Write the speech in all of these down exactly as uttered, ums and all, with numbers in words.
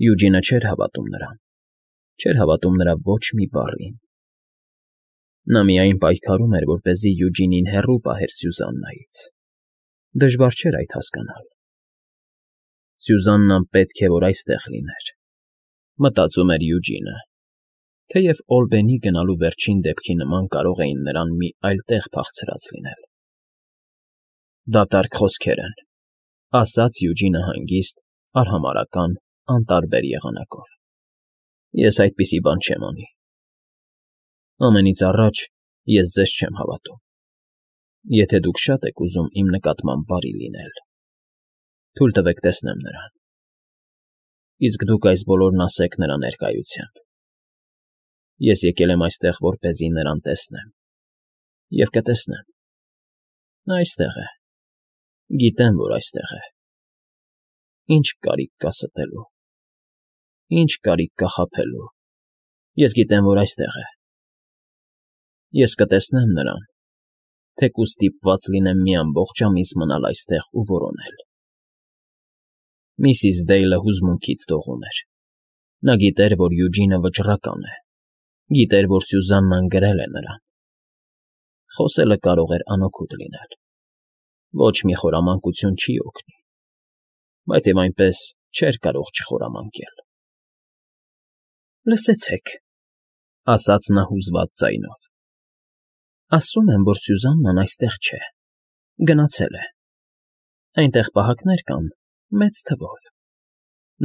Յուջինը չէր հավատում նրան, չէր հավատում նրա ոչ մի բառին. նա միայն պայքարում էր, որպեսզի Յուջինին հեռու պահեր Սյուզաննայից. դժվար չէր այդ հասկանալ։ Սյուզաննան պետք է որ այստեղ լիներ, մտածում էր Յուջինը, թեև Օլբենի գնալու վերջին դեպքի նման կարող էին նրան մի այլ տեղ փախցրած լինել։ Դատարկ խոսքեր են, ասաց Յուջինը հանգիստ, արհամարհական, անտարբեր եղանակով։ Ես այդպիսի բան չեմ անի։ Ամենից առաջ ես ձեզ չեմ հավատում։ Եթե դուք շատ եք ուզում իմ նկատմամբ բարի լինել, թույլ տվեք տեսնեմ նրան, իսկ դուք այս բոլորն ասեք նրա ներկայությամբ։ Ես եկել եմ այստեղ, որպեսզի նրան տեսնեմ, և կտեսնեմ։ Նա այստեղ է, գիտեմ, որ այստեղ է։ Ինչ կարիք կա ստելու, ինչ կարիք կա խաբելու, ես գիտեմ, որ այստեղ է։ Ես կտեսնեմ նրան, թեկուզ ստիպված լինեմ մի ամբողջ ամիս մնալ այստեղ ու որոնել։ Միսիս Դեյլը հուզմունքից դողում էր։ Նա գիտեր, որ Յուջինը վճռական է, գիտեր, որ Սյուզաննան գրել է նրան։ Խոսելը կարող էր անօգուտ լինել, ոչ մի խորամանկություն չի օգնի, բայց և այնպես չէր կարող չխորամանկել։ Լսեցեք, ասաց նա հուզված ձայնով. ասում են, որ Սյուզաննան այստեղ չէ, գնացել է։ Այնտեղ պահակներ կան, մեծ թվով։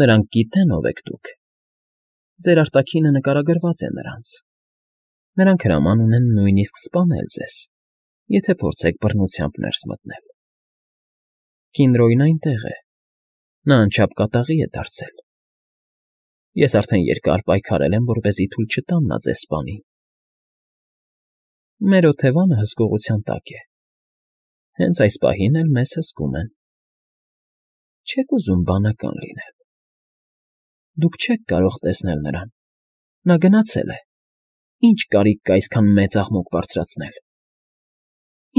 Նրանք գիտեն ով եք դուք։ Ձեր արտաքինը նկարագրված է նրանց։ Նրանք հրաման ունեն նույնիսկ սպանել ձեզ, եթե փորձեք բռնությամբ ներս մտնել։ Կինրոյն այնտեղ է, նա անչափ կատաղի է դարձել։ Ես արդեն երկար պայքարել եմ, որպեսզի թույլ չտամ նա ձեզ սպանի։ Մեր օթևանը հսկողության տակ է, հենց այս պահին էլ մեզ հսկում են։ Չեք ուզում բանական լինել։ Դուք չեք կարող տեսնել նրան, նա գնացել է, ինչ կարիք կա այսքան մեծ աղմուկ բարձրացնել։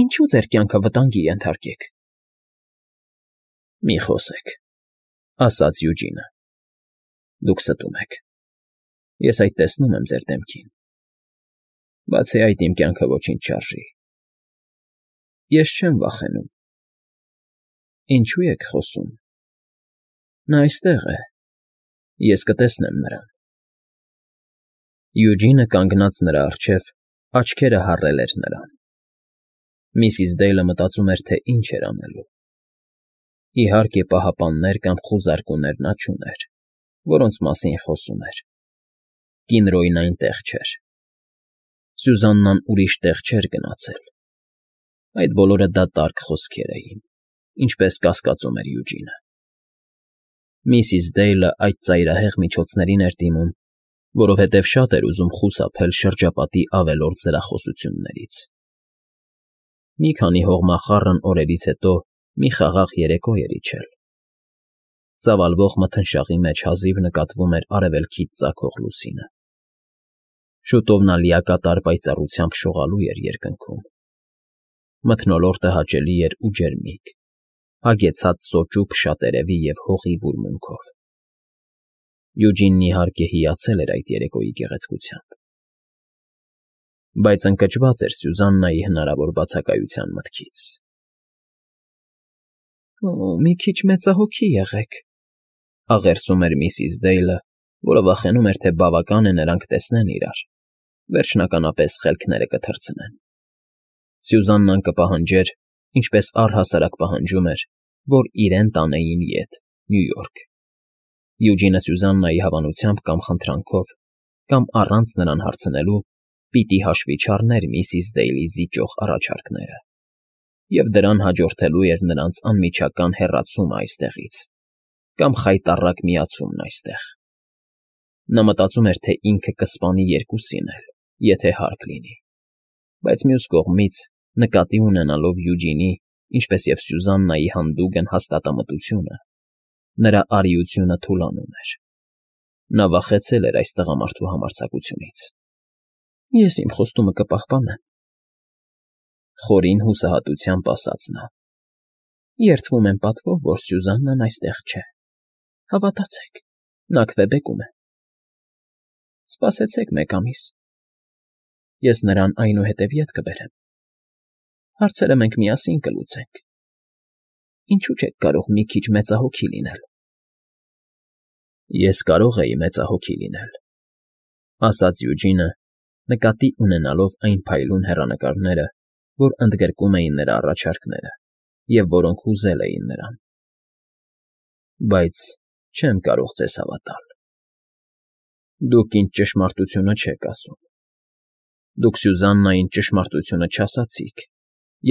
Ինչու ձեր կյանքը վտանգի ենթարկեք։ Մի խոսեք, ասաց Յուջինը, դուք ստում եք, ես այդ տեսնում եմ ձեր դեմքին, բացի այդ իմ կյանքը ոչինչ չարժի։ Ես չեմ վախենում։ Ինչու եք խոսում։ Նա այստեղ է, ես կտեսնեմ նրան։ Յուջինը կանգնած նրա առջև, աչքերը հառել էր նրան։ Միսիս Դեյլը մտածում էր, թե ինչ էր անելու։ Իհարկե պահապաններ կամ խուզարկուներ նա չուներ, որոնց մասին խոսում էր։ Կինրոյն այնտեղ չէր։ Սյուզաննան ուրիշ տեղ չէր գնացել։ Այդ բոլորը դատարկ խոսքեր էին, ինչպես կասկածում էր Յուջինը։ Միսիս Դեյլը այդ ծայրահեղ միջոցներին էր դիմում, որովհետև շատ էր ուզում խուսափել շրջապատի ավելորդ զրախոսություններից։ Մի քանի հողմախառն օրերից հետո մի խաղաղ երեկո էր իջել։ Ծավալվող մթնշաղի մեջ հազիվ նկատվում էր արևելքից ծագող լուսինը։ Շուտով նա լիակատար պայծառությամբ շողալու էր երկնքում։ Մթնոլորտը հաճելի էր ու ջերմիկ, հագեցած սոճու փշատերևի և հողի բուրմունքով։ Յուջինն իհարկե հիացել էր այդ երեկոյի գեղեցկությամբ, բայց ընկճված էր Սյուզաննայի հնարավոր բացակայության մտքից։ Օ, մի քիչ մեծահոգի եղեք, աղերսում էր միսիս Դեյլը, որը վախենում էր, թե բավական է նրանք տեսնեն իրար, վերջնականապես խելքները կթռցնեն։ Սյուզաննան կպահանջեր, ինչպես առհասարակ պահանջում էր, որ իրեն տանեին ետ, Նյու Յորք։ Յուջինը Սյուզաննայի հավանությամբ կամ խնդրանքով, կամ առանց նրան հարցնելու, պիտի հաշվի չառներ միսիս Դեյլի զիջող առաջարկները, և դրան հաջորդելու էր նրանց անմիջական հեռացումը այստեղից, կամ խայտառակ միացումն այստեղ։ Նա մտածում էր, թե ինքը կսպանի երկուսին էլ, եթե հարկ լինի, բայց մյուս կողմից, նկատի ունենալով Յուջինի, ինչպես և Սյուզաննայի հանդուգն հաստատամտությունը, նրա արիությունը թուլանում էր։ Նա վախեցել էր այս տղամարդու համարձակությունից։ Ես իմ խոստումը կպահպանեմ, խորին հուսահատությամբ ասաց նա։ Երդվում եմ պատվով, որ Սյուզաննան այստեղ չէ, հավատացեք, Նա քվեբեկում է։ Սպասեցեք մեկ ամիս, ես նրան այնուհետև ետ կբերեմ, հարցերը մենք միասին կլուծենք, ինչու՞ չեք կարող մի քիչ մեծահոգի լինել։ Ես կարող էի մեծահոգի լինել, ասաց Յուջինը, նկատի ունենալով այն փայլուն հեռանկարները, որ ընդգրկում էին նրա առաջարկները և որոնք հուզել էին նրան, բայց չեմ կարող ձեզ հավատալ։ Դուք ինձ ճշմարտությունը չեք ասում, դուք Սյուզաննային ճշմարտությունը չասացիք,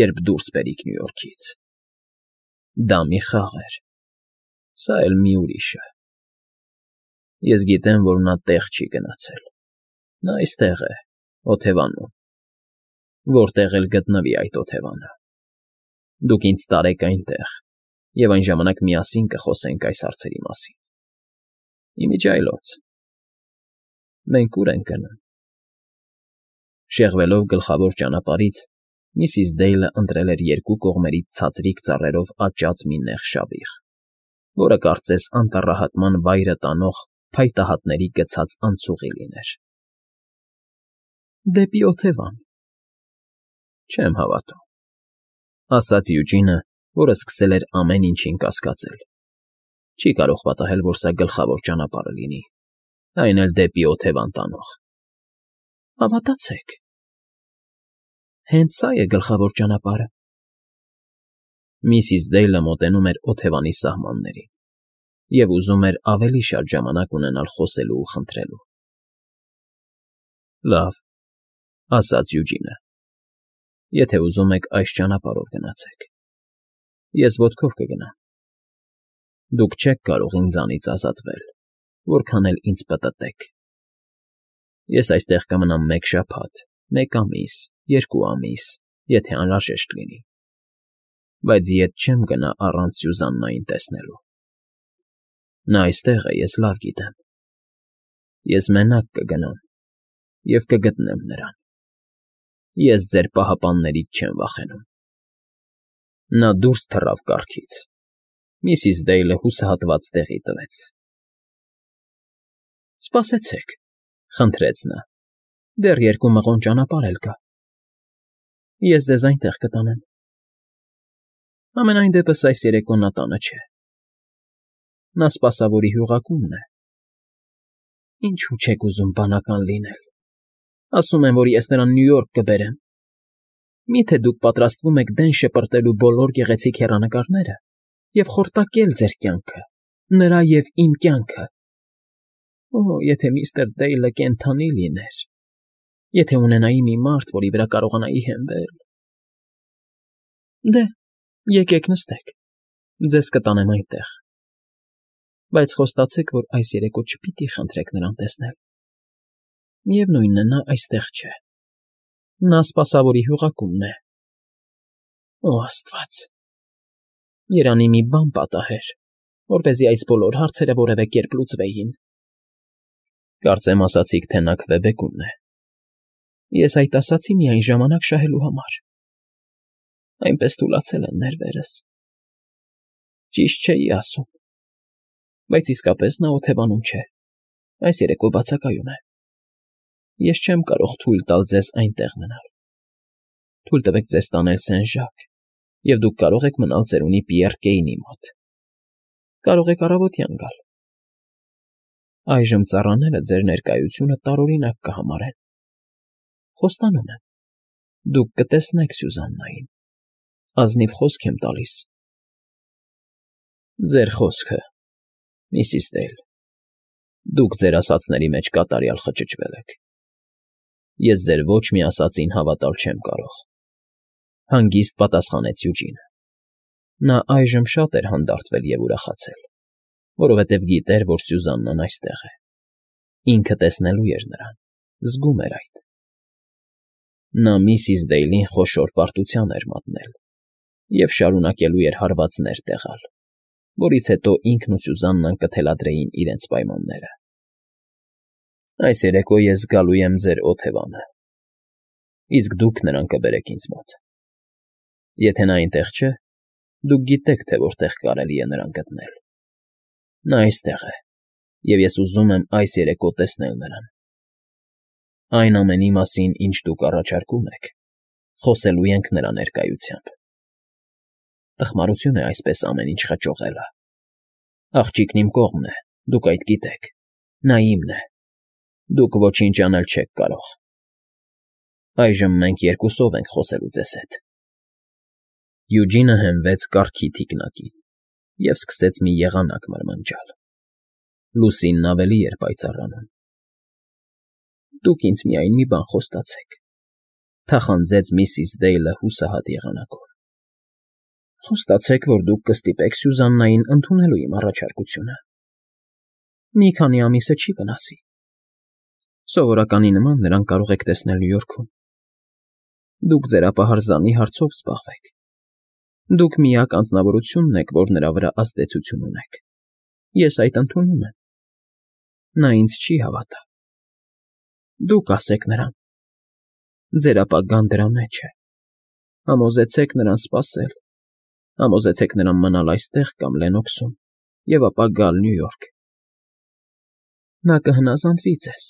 երբ դուրս բերիք Նյու Յորքից։ Դա մի խաղ էր, սա էլ մի ուրիշը։ Ես գիտեմ, որ նա տեղ չի գնացել, նա այստեղ է, օթևանում, որտեղ էլ գտնվի այդ օթևանը։ Դուք ինձ տարեք այնտեղ, և այն ժամանակ միասին կխոսենք այս հարցերի մասին։ Իմիջիայլոց։ Մենք ո՞ւր ենք գնում։ Շեղվելով գլխավոր ճանապարհից, միսիս Դեյլը ընտրել էր երկու կողմերից ցածրիկ ծառերով աճած մի նեղ շավիղ, որը կարծես անտառահատման վայրը տանող փայտահատների գցած անցուղի լիներ։ Դեպի օթևան։ Չեմ հավատում, ասաց Յուջինը, որը սկսել էր ամեն ինչին կասկածել։ Չի կարող պատահել, որ սա գլխավոր ճանապարհը լինի, այն էլ դեպի օթևան տանող։ Հավատացեք։ Հենց սա է գլխավոր ճանապարհը։ Միսիս Դեյլը մոտենում էր օթևանի սահմաններին և ուզում էր ավելի շատ ժամանակ ունենալ խոսելու ու խնդրելու։ Լավ, ասաց Յուջինը, եթե ուզում եք այս ճանապարհով գնացեք, ես ոտքով կգնամ։ Դուք չեք կարող ինձանից ազատվել, որքան էլ ինձ պտտեք։ Ես այստեղ կմնամ մեկ շաբաթ, մեկ ամիս, երկու ամիս, եթե անհրաժեշտ լինի, բայց ետ չեմ գնա առանց Սյուզաննային տեսնելու։ Նա այստեղ է, ես լավ գիտեմ։ Ես մենակ կգնամ և կգտնեմ նրան։ Ես ձեր պահապաններից չեմ վախենում։ Նա դուրս թռավ կառքից։ Միսիս Դեյլը հուսահատված տեղի տվեց։ Սպասեցեք, խնդրեց նա, դեռ երկու մղոն ճանապարհ էլ կա։ Ես ձեզ այնտեղ կտանեմ։ Համենայն դեպս այս երեկո նա տանը չէ։ Նա սպասավորի հյուղակումն է։ Ինչու՞ չեք ուզում բանական լինել։ Ասում են, որ ես նրան Նյու Յորք կբերեմ։ Մի՞թե դուք պատրաստվում եք դեն շպրտելու բոլոր գեղեցիկ հեռանկարները և խորտակել ձեր կյանքը, նրա և իմ կյանքը։ Օ, եթե միստր Դեյլը կենդանի լիներ, եթե ունենայի մի մարդ, որի վրա կարողանայի հենվել… Դե, եկեք նստեք, ձեզ կտանեմ այնտեղ, բայց խոստացեք, որ այս երեկո չպիտի խնդրեք նրան տեսնել։ Միևնույն է, նա այստեղ չէ։ Նա սպասավորի հյուղակումն է։ Օ, աստված… Երանի մի բան պատահեր, որպեսզի այս բոլոր հարցերը որևէ կերպ լուծվեին։ Կարծեմ ասացիք, թե նա քվեբեկումն է։ Ես այդ ասացի միայն ժամանակ շահելու համար։ Այնպես թուլացել են ներվերս։ Ճիշտ չէի ասում, բայց իսկապես նա օթևանում չէ, այս երեկո բացակայում է։ Ես չեմ կարող թույլ տալ ձեզ այնտեղ մնալ։ Թույլ տվեք ձեզ տանել Սեն֊Ժակ, և դուք կարող եք մնալ ծերունի Պիեռ Կեյնի մոտ։ Կարող եք առավոտյան գալ։ Այժմ ծառաները ձեր ներկայությունը տարօրինակ կհամարեն։ Խոստանում եմ, դուք կտեսնեք Սյուզաննային, ազնիվ խոսք եմ տալիս։ Ձեր խոսքը, միսիս Դեյլ, դուք ձեր ասածների մեջ կատարյալ խճճվել եք։ Ես ձեր ոչ մի ասածին հավատալ չեմ կարող,֊ հանգիստ պատասխանեց Յուջինը։ Նա այժմ շատ էր հանդարտվել և ուրախացել, որովհետև գիտեր, որ Սյուզաննան այստեղ է։ Ինքը տեսնելու էր նրան, զգում էր այդ։ Նա միսիս Դեյլին խոշոր պարտության էր մատնել և շարունակելու էր հարվածներ տեղալ, որից հետո ինքն ու Սյուզաննան կթելադրեին իրենց պայմանները։ Այս երեկո ես գալու եմ ձեր օթևանը, իսկ դուք նրան կբերեք ինձ մոտ։ Եթե նա այնտեղ չէ, դուք գիտեք, թե որտեղ կարելի է նրան գտնել։ Նա այստեղ է և ես ուզում եմ այս երեկո տեսնել նրան։ Այն ամենի մասին, ինչ դուք առաջարկում եք, խոսելու ենք նրա ներկայությամբ։ Տխմարություն է այսպես ամեն ինչ խճողելը։ Աղջիկն իմ կողմն է, դուք այդ գիտեք, նա իմն է, դուք ոչինչ անել չեք կարող։ Այժմ մենք երկուսով ենք խոսելու ձեզ հետ։ Յուջինը հենվեց կառքի թիկնակին և սկսեց մի եղանակ մրմնջալ։ Լուսինն ավելի էր պայծառանում։ Դուք ինձ միայն մի բան խոստացեք,֊ թախանձեց միսիս Դեյլը հուսահատ եղանակով։ Խոստացեք, որ դուք կստիպեք Սյուզաննային ընդունելու իմ առաջարկությունը։ Մի քանի ամիսը չի վնասի։ Սովորականի նման նրան կարող եք տեսնել Նյու Յորքում։ Դուք ձեր ապահարզանի հարցով զբաղվեք։ Դուք միակ անձնավորությունն եք, որ նրա վրա ազդեցություն ունեք։ Ես այդ ընդունում եմ։ Նա ինձ չի հավատա։ Դուք ասեք նրան։ Ձեր ապագան դրա մեջ է։ Համոզեցեք նրան սպասել։ Համոզեցեք նրան մնալ այստեղ կամ Լենոքսում և ապա գալ Նյու Յորք։ Նա կհնազանդվի ձեզ։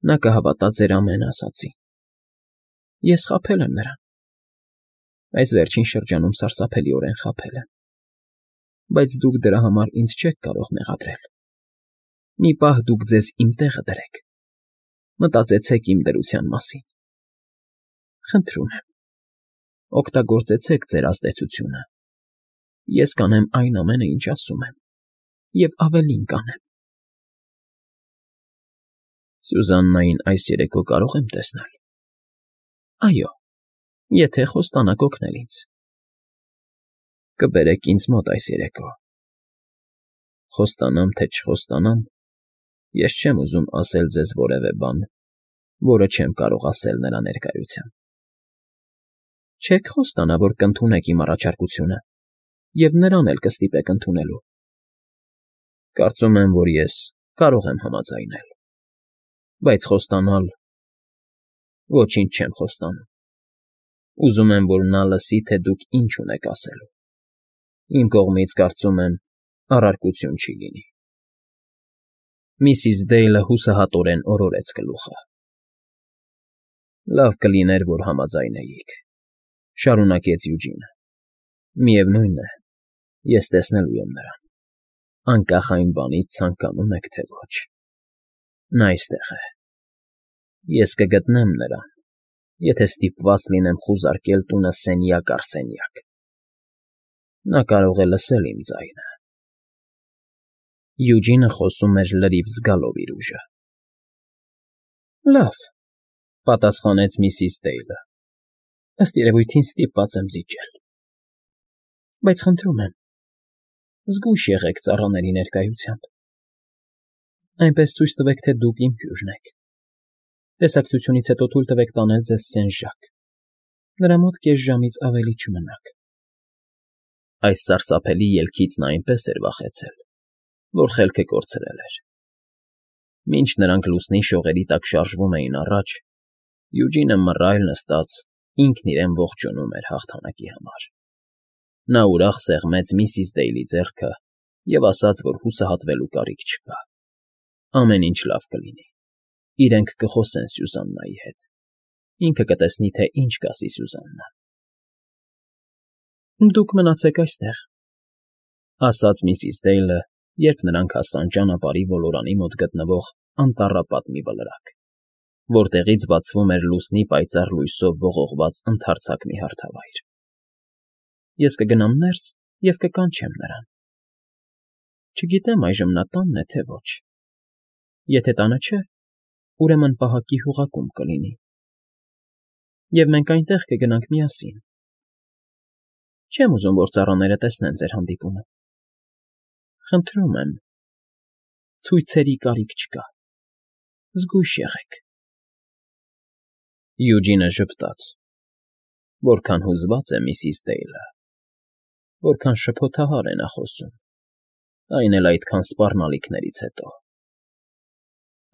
Նա կհավատա ձեր ամեն ասածին։ Ես խաբել եմ նրան։ Այս վերջին շրջանում սարսափելիորեն խաբել եմ։ Բայց դուք դրա համար ինձ չեք կարող մեղադրել։ Մի պահ դուք ձեզ իմ տեղը դրեք։ Մտածեցեք իմ դրության մասին։ Խնդրում եմ, օգտագործեցեք ձեր ազդեցությունը։ Ես կանեմ այն ամենը, ինչ ասում եմ, և ավելին կանեմ։ Սյուզաննային այս երեկո կարո՞ղ եմ տեսնել։ Այո, եթե խոստանաք օգնել ինձ։ Կբերեք ինձ մոտ այս երեկո։ Խոստանամ, թե չխոստանամ, ես չեմ ուզում ասել ձեզ որևէ բան, որը չեմ կարող ասել նրա ներկայությամբ։ Չեք խոստանա, որ կընդունեք իմ առաջարկությունը և նրան էլ կստիպեք ընդունելու։ Կարծում եմ, որ ես կարող եմ համաձայնել։ Բայց խոստանալ… Ոչինչ չեմ խոստանում։ Ուզում եմ, որ նա լսի, թե դուք ինչ ունեք ասելու։ Իմ կողմից, կարծում եմ, առարկություն չի լինի։ Միսիս Դեյլը հուսահատորեն օրորեց գլուխը։ Լավ կլիներ, որ համաձայնեիք,֊ շարունակեց Յուջինը։ Միևնույն է, ես տեսնելու եմ նրան, անկախ այն բանից, ցանկանում եք, թե ոչ։ Նա այստեղ է։ Ես կգտնեմ նրան, եթե ստիպված լինեմ խուզարկել տունը սենյակ առ սենյակ։ Նա կարող է լսել իմ ձայնը։ Յուջինը խոսում էր լրիվ զգալով իր ուժը։ Լավ,֊ պատասխանեց միսիս Դեյլը, ըստ երևույթին ստիպված եմ զիջել։ Բայց խնդրում եմ, զգույշ եղեք ծառաների ներկայությամբ։ Այնպես ցույց տվեք, թե դուք իմ հյուրն եք։ Տեսակցությունից հետո թույլ տվեք տանել ձեզ Սեն֊Ժակ։ Նրա մոտ կես ժամից ավելի չմնաք։ Այս սարսափելի ելքից նա այնպես էր վախեցել, որ խելքը կորցրել էր։ Մինչ նրանք լուսնի շողերի տակ շարժվում էին առաջ, Յուջինը մռայլ նստած ինքն իրեն ողջունում էր հաղթանակի համար։ Նա ուրախ սեղմեց միսիս Դեյլի ձեռքը և ասաց, որ հուսահատվելու կարիք չկա։ Ամեն ինչ լավ կլինի։ Իրենք կխոսեն Սյուզաննայի հետ։ Ինքը կտեսնի, թե ինչ կասի Սյուզաննան։ Դուք մնացեք այստեղ,֊ ասաց միսիս Դեյլը, երբ նրանք հասան ճանապարհի ոլորանի մոտ գտնվող անտառապատ մի վլրակ, որտեղից բացվում էր լուսնի պայծառ լույսով ողողված ընդարձակ մի հարթավայր։ Ես կգնամ ներս և կկանչեմ նրան։ Չգիտեմ այժմ նա տանն է, թե ոչ։ Եթե տանը չէ, ուրեմն պահակի հյուղակում կլինի։ Եվ մենք այնտեղ կգնանք միասին։ Չեմ ուզում, որ ծառաները տեսնեն ձեր հանդիպումը։ Խնդրում եմ, ցույցերի կարիք չկա։ Զգույշ եղեք։ Յուջինը ժպտաց։ Որքան հուզված է միսիս Դեյլը, որքան շփոթահար է նա խոսում, այն էլ այդքան սպառնալիքներից հետո։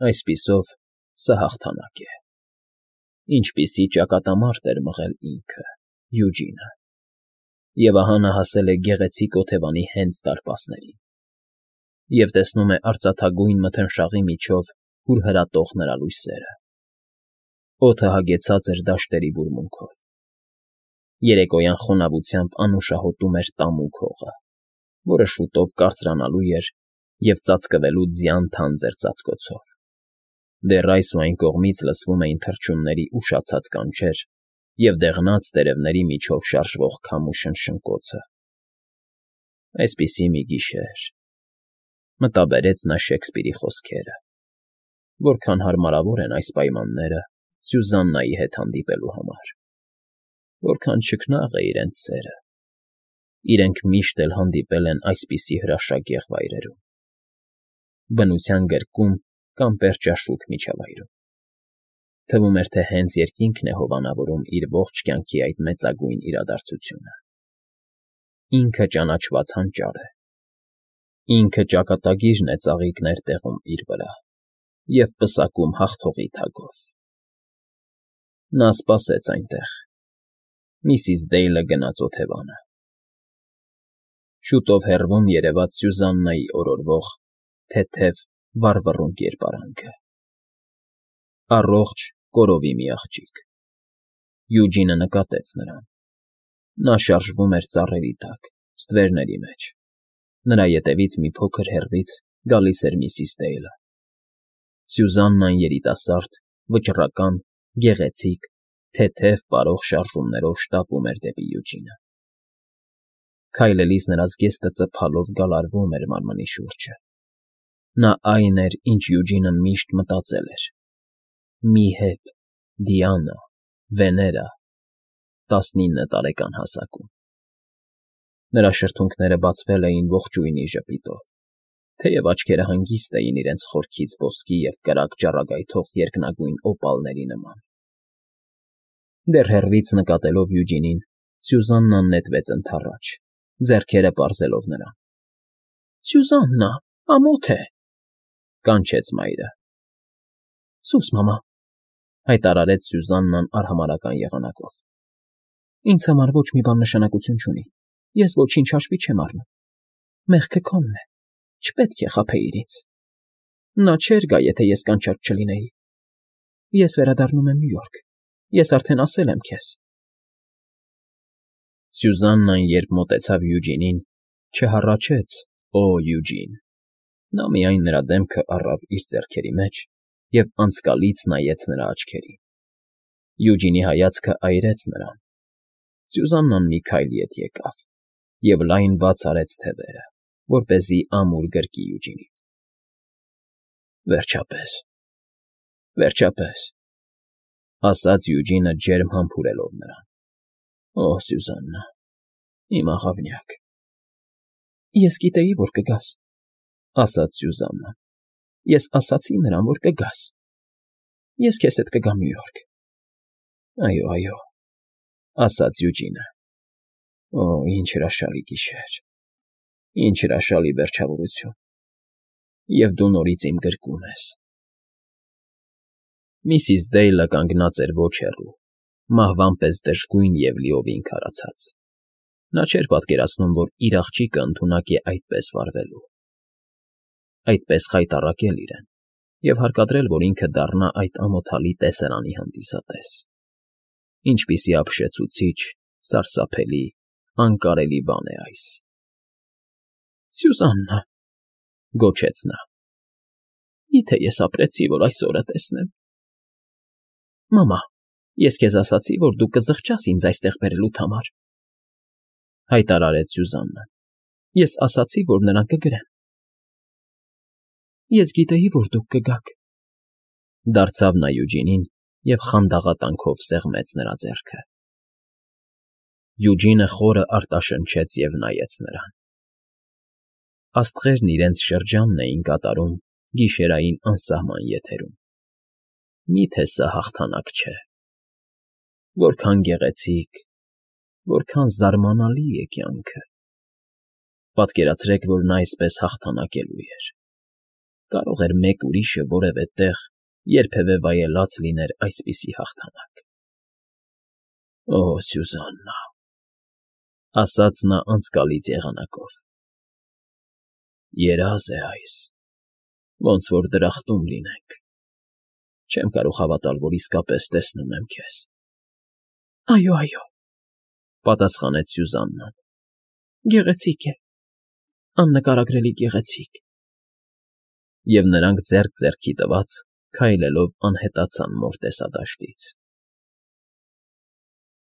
Այսպիսով, սա հաղթանակ է։ Ինչպիսի ճակատամարտ էր մղել ինքը՝ Յուջինը։ Եվ ահա նա հասել է գեղեցիկ օթևանի հենց դարպասներին։ և տեսնում է արծաթագույն մթնշաղի միջով հուրհրատող նրա լույսերը։ Օդը հագեցած էր դաշտերի բուրմունքով։ Երեկոյան խոնավությամբ անուշահոտում էր տամուկ հողը, որը շուտով կարծրանալու էր և ծածկվելու ձյան թանձր ծածկոցով։ Դեռ այս ու այն կողմից լսվում էին թռչունների ուշացած կանչեր և դեղնած տերևների միջով շարժվող քամու շնշնկոցը։ Այսպիսի մի գիշեր, մտաբերեց նա Շեքսպիրի խոսքերը, որքան հարմարավոր են այս պայմանները Սյուզաննայի հետ հանդիպելու համար, որքան չքնաղ է իրենց սերը, իրենք միշտ էլ հանդիպել են այսպիսի հրաշագեղ վայրերում, բնության գրկում կամ պերճաշուք միջավայրում։ Թվում էր, թե հենց երկինքն է հովանավորում իր ողջ կյանքի այդ մեծագույն իրադարձությունը։ Ինքը ճանաչված հանճար է, ինքը ճակատագիրն է ծաղիկներ տեղում իր վրա և պսակում հաղթողի թագով։ Նա սպասեց այնտեղ, միսիս Դեյլը գնաց օթևանը։ Շուտով հեռվում երևաց Սյուզաննայի օրորվող, թեթև, վառվռուն կերպարանքը։ Առողջ, կորովի մի աղջիկ։ Յուջինը նկատեց նրան։ Նա շարժվում էր ծառերի տակ, ստվերների մեջ։ Նրա ետևից մի փոքր հեռվից գալիս էր միսիս Դեյլը։ Սյուզաննան երիտասարդ, վճռական, գեղեցիկ, թեթև պարող շարժումներով շտապում էր դեպի Յուջինը։ Քայլելիս նրա զգեստը ծփալով գալարվում էր մարմնի շուրջը։ Նա այն էր, ինչ Յուջինը միշտ մտածել էր. մի հեբ, Դիանա, Վեներա, տասնինը տարեկան հասակում։ Նրա շրթունքները բացվել էին ողջույնի ժպիտով, թեև աչքերը հանգիստ էին իրենց խորքից ոսկի և կրակ ճառագայթող երկնագույն օպալների նման։ Դեռ հեռվից նկատելով Յուջինին, Սյուզաննան նետվեց ընդառաջ, ձեռքերը պարզելով նրան։ ֊ Սյուզաննա, ամոթ է,֊ կանչեց մայրը։ ֊ Սուս մամա,֊ հայտարարեց Սյուզաննան արհամարհական եղանակով։ ֊ Ինձ համար ոչ մի բան նշանակություն չունի, ես ոչինչ հաշվի չեմ առնում։ Մեղքը քոնն է, չպետք է խաբեիր ինձ։ Նա չէր գա, եթե ես կանչած չլինեի։ Ես վերադառնում եմ Նյու Յորք, ես արդեն ասել եմ քեզ։ Սյուզաննան, երբ մոտեցավ Յուջինին, չհառաչեց. «Օ, Յուջին»։ Նա միայն նրա դեմքը առավ իր ձեռքերի մեջ և անցկալից նայեց նրա աչքերին։ Յուջինի հայացքը այրեց նրան։ Սյուզաննան մի քայլ ետ եկավ և լայն բաց արեց թևերը, որպեսզի ամուր գրկի Յուջինին։ ֊ Վերջապես, վերջապես,֊ ասաց Յուջինը ջերմ համբուրելով նրան։ ֊ Օ, Սյուզաննա, իմ աղավնյակ… ֊ Ես գիտեի, որ կգաս,֊ ասաց Սյուզաննան։ Ես ասացի նրան, որ կգաս։ Ես քեզ հետ կգամ Նյու Յորք։ ֊ Այո, այո,֊ ասաց Յուջինը։ Օ, ինչ հրաշալի գիշեր… Ինչ հրաշալի վերջավորություն… Եվ դու նորից իմ գրկում ես… Միսիս Դեյլը կանգնած էր ոչ հեռու, մահվան պես դժգույն և լիովին քարացած։ Նա չէր պատկերացնում, որ իր աղջիկը ընդունակ է այդպես վարվելու, այդպես խայտառակել իրեն և հարկադրել, որ ինքը դառնա այդ ամոթալի տեսարանի հանդիսատես։ Ինչպիսի ապշեցուցիչ, սարսափելի, անկարելի բան է այս… ֊ Սյուզաննա,֊ գոչեց նա,֊ մի՞թե ես ապրեցի, որ այս օրը տեսնեմ։ ֊ Մամա, ես քեզ ասացի, որ դու կզղջաս ինձ այստեղ բերելուդ համար,֊ հայտարարեց Սյուզաննան։ Ես ասացի, որ նրան կգրեմ։ ֊ Ես գիտեի, որ դուք կգաք,֊ դարձավ նա Յուջինին և խանդաղատանքով սեղմեց նրա ձեռքը։ Յուջինը խորը արտաշնչեց և նայեց նրան։ Աստղերն իրենց շրջանն էին կատարում գիշերային անսահման եթերում։ Մի՞թե սա հաղթանակ չէ… Որքան գեղեցիկ, որքան զարմանալի է կյանքը… Պատկերացրեք, որ նա այսպես հաղթանակելու էր… Կարող էր մեկ ուրիշը որևէ տեղ երբևէ վայելած լիներ այսպիսի հաղթանակ… Օ, Սյուզաննա,֊ ասաց նա անցկալից եղանակով։ Երազ է այս, ոնց որ դրախտում լինենք, չեմ կարող հավատալ, որ իսկապես տեսնում եմ քեզ։ ֊ Այո, այո,֊ պատասխանեց Սյուզաննան,֊ գեղեցիկ է, աննկարագրելի գեղեցիկ… Եվ նրանք ձեռք ձեռքի տված քայլելով անհետացան մոր տեսադաշտից։